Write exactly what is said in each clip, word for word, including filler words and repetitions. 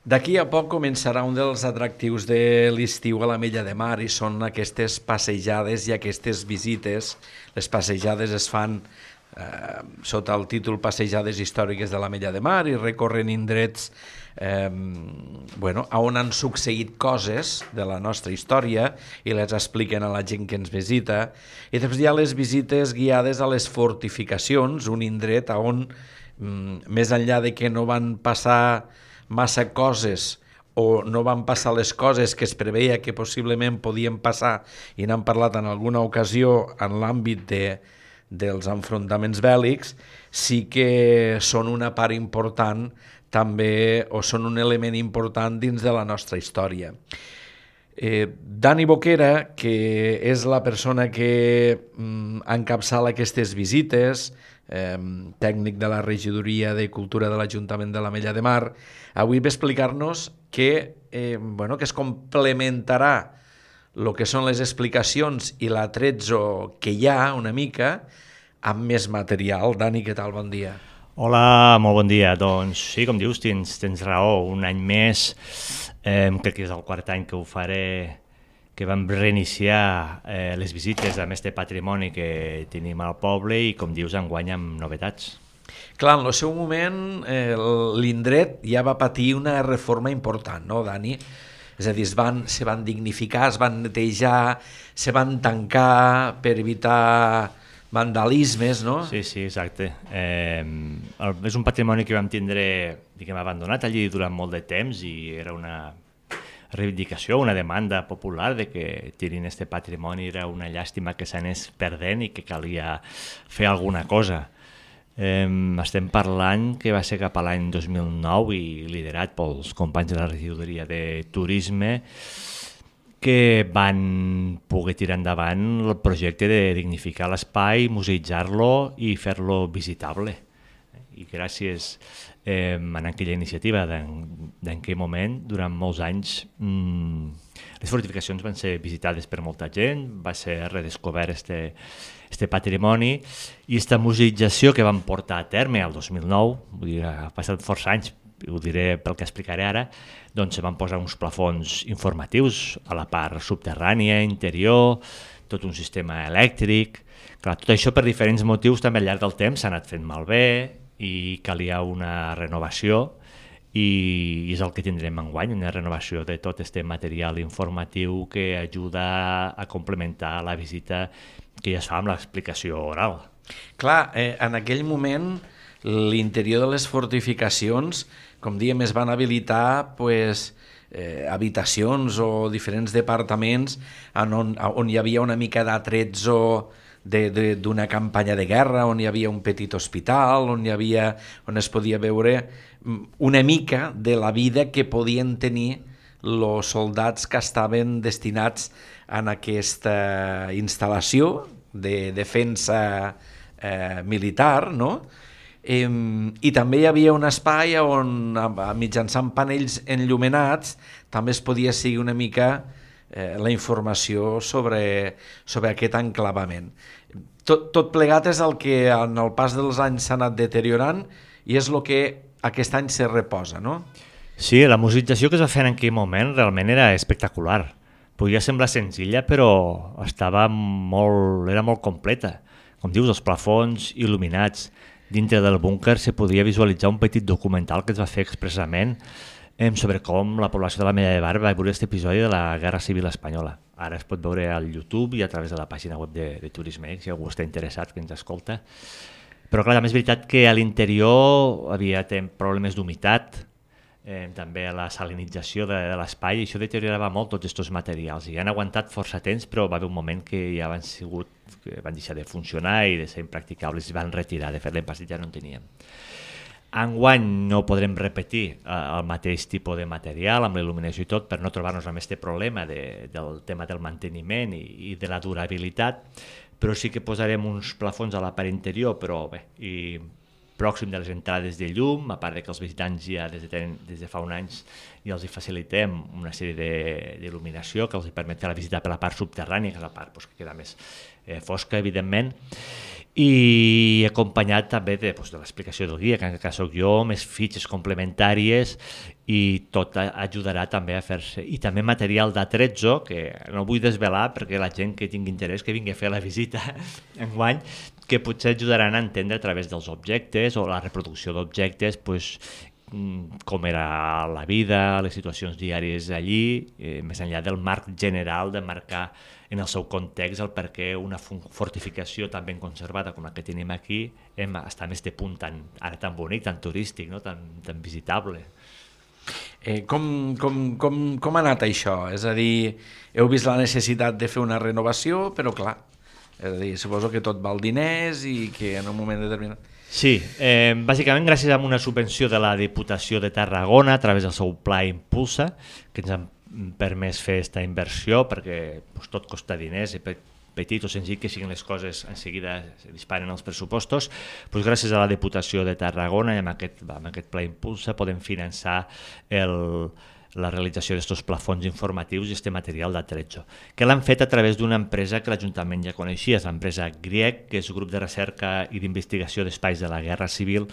D'aquí a poc començarà un dels atractius de l'estiu a l'Ametlla de Mar i són aquestes passejades i aquestes visites. Les passejades es fan eh, sota el títol Passejades històriques de l'Ametlla de Mar i recorren indrets eh, bueno, on han succeït coses de la nostra història i les expliquen a la gent que ens visita. I després hi ha les visites guiades a les fortificacions, un indret on, mm, més enllà de que no van passar massa coses o no van passar les coses que es preveia que possiblement podien passar i n'han parlat en alguna ocasió en l'àmbit de, dels enfrontaments bèl·lics, sí que són una part important també, o són un element important dins de la nostra història. Eh, Dani Boquera, que és la persona que mm, encapçala aquestes visites, eh, tècnic de la Regidoria de Cultura de l'Ajuntament de l'Ametlla de Mar, avui va explicar-nos que, eh, bueno, que es complementarà el que són les explicacions i l'atrezzo que hi ha una mica amb més material. Dani, què tal? Bon dia. Hola, molt bon dia. Doncs sí, com dius, tens, tens raó. Un any més, eh, crec que és el quart any que ho faré, que vam reiniciar eh, les visites amb este patrimoni que tenim al poble i, com dius, enguany amb novetats. Clar, en el seu moment eh, l'indret ja va patir una reforma important, no, Dani? És a dir, es van, se van dignificar, es van netejar, se van tancar per evitar vandalismes, no? Sí, sí, exacte. Eh, el, és un patrimoni que vam tindre, diguem, abandonat allí durant molt de temps i era una reivindicació, una demanda popular de que tirin este patrimoni. Era una llàstima que s'anés perdent i que calia fer alguna cosa. Eh, estem parlant que va ser cap a l'any dos mil nou i liderat pels companys de la Regidoria de Turisme que van poder tirar endavant el projecte de dignificar l'espai, museïtzar-lo i fer-lo visitable. I gràcies eh, a aquella iniciativa d'en aquell moment, durant molts anys, mmm, les fortificacions van ser visitades per molta gent, va ser redescobert este, este patrimoni i aquesta museïtzació que vam portar a terme el dos mil nou, vull dir, ha passat força anys, ho diré pel que explicaré ara, doncs van posar uns plafons informatius a la part subterrània, interior, tot un sistema elèctric. Clar, tot això per diferents motius també al llarg del temps s'ha anat fent malbé i calia una renovació i és el que tindrem enguany, una renovació de tot este material informatiu que ajuda a complementar la visita que ja es fa amb l'explicació oral. Clar, eh, en aquell moment l'interior de les fortificacions, com diem, es van habilitar pues, eh, habitacions o diferents departaments on, on hi havia una mica d'atrezzo d'una campanya de guerra, on hi havia un petit hospital, on hi havia, on es podia veure una mica de la vida que podien tenir els soldats que estaven destinats en aquesta instal·lació de defensa eh, militar, no? Eh, I també hi havia un espai on, mitjançant panells enllumenats, també es podia seguir una mica eh, la informació sobre, sobre aquest enclavament. Tot, tot plegat és el que en el pas dels anys s'ha anat deteriorant i és el que aquest any se reposa, no? Sí, la museïtzació que es va fer en aquell moment realment era espectacular. Podia semblar senzilla, però estava molt, era molt completa. Com dius, els plafons il·luminats. Dintre del búnquer se podia visualitzar un petit documental que es va fer expressament sobre com la població de l'Ametlla de Mar va viure aquest episodi de la Guerra Civil Espanyola. Ara es pot veure al YouTube i a través de la pàgina web de, de Turisme, si algú està interessat, que ens escolta. Però clar, també és veritat que a l'interior havia problemes d'humitat, eh, també la salinització de, de l'espai, i això deteriorava molt tots aquests materials. I han aguantat força temps, però va haver un moment que ja van, sigut, que van deixar de funcionar i de ser impracticables i van retirar. De fet, l'any passat ja no en teníem. Enguany no podrem repetir eh, el mateix tipus de material amb la il·luminació i tot per no trobar-nos amb aquest problema de, del tema del manteniment i, i de la durabilitat, però sí que posarem uns plafons a la part interior, però bé, i pròxim de les entrades de llum, a part de que els visitants ja des de, des de fa un anys ja els hi facilitem una sèrie d'il·luminació que els hi permet fer la visita per la part subterrània, que és la part pues, que queda més, eh, fosca, evidentment, i acompanyat també de, doncs, de l'explicació del guia, que en aquest cas soc jo, més fitxes complementàries, i tot ajudarà també a fer-se. I també material d'atrezzo, que no vull desvelar perquè la gent que tingui interès que vingui a fer la visita enguany, que potser ajudaran a entendre a través dels objectes o la reproducció d'objectes, pues, com era la vida, les situacions diàries allí, eh, més enllà del marc general de marcar en el seu context el per què una fortificació tan ben conservada com la que tenim aquí hem, està més de punt tan, ara tan bonic, tan turístic, no? tan, tan visitable. Eh, com, com, com, com ha anat això? És a dir, heu vist la necessitat de fer una renovació, però clar, és a dir, suposo que tot val diners i que en un moment determinat... Sí, eh, bàsicament gràcies a una subvenció de la Diputació de Tarragona a través del seu pla Impulsa, que ens han permès fer aquesta inversió, perquè pues, tot costa diners, i petit o senzill que siguin les coses, en seguida se disparen els pressupostos, pues, gràcies a la Diputació de Tarragona i amb aquest, amb aquest pla Impulsa podem finançar el... la realització d'aquests plafons informatius i aquest material d'atrezzo, que l'han fet a través d'una empresa que l'Ajuntament ja coneixia, és l'empresa GRIEC, que és el grup de recerca i d'investigació d'espais de la Guerra Civil,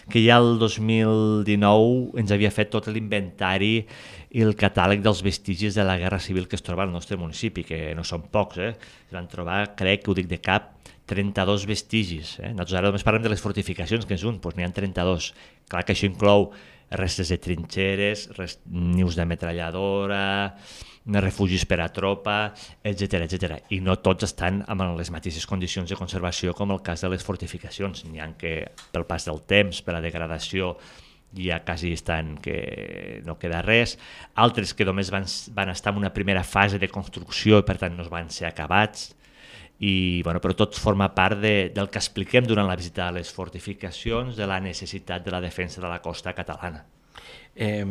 que ja el dos mil dinou ens havia fet tot l'inventari i el catàleg dels vestigis de la Guerra Civil que es troba al nostre municipi, que no són pocs, eh? Van trobar, crec que ho dic de cap, trenta-dos vestigis. Eh? Nosaltres ara només parlem de les fortificacions, que és un, doncs n'hi ha trenta-dos. Clar que això inclou restes de trinxeres, rest... nius de metralladora, refugis per a tropa, etcètera, etcètera. I no tots estan amb les mateixes condicions de conservació com el cas de les fortificacions. N'hi ha que pel pas del temps, per la degradació, ja quasi estan que no queda res. Altres que només van, van estar en una primera fase de construcció i per tant no van ser acabats. I, bueno, però tot forma part de, del que expliquem durant la visita a les fortificacions, de la necessitat de la defensa de la costa catalana. Eh,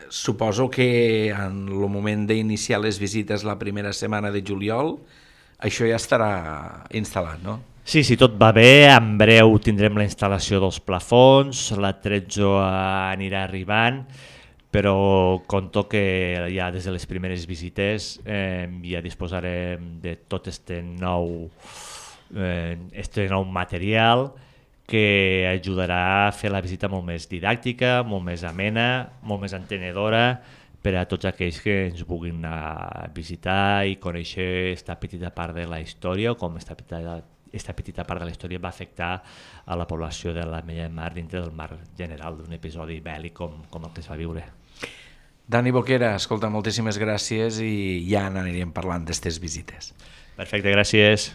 suposo que en el moment d'iniciar les visites la primera setmana de juliol això ja estarà instal·lat, no? Sí, sí, tot va bé, en breu tindrem la instal·lació dels plafons, l'atrezzo anirà arribant, però conto que ja des de les primeres visites eh, ja disposarem de tot este nou, eh, este nou material que ajudarà a fer la visita molt més didàctica, molt més amena, molt més entenedora per a tots aquells que ens vulguin anar a visitar i conèixer aquesta petita part de la història o com aquesta petita, aquesta petita part de la història va afectar a la població de l'Ametlla de Mar dintre del marc general d'un episodi bèl·lic com, com el que es va viure. Dani Boquera, escolta, moltíssimes gràcies i ja n'aniríem parlant d'aquestes visites. Perfecte, gràcies.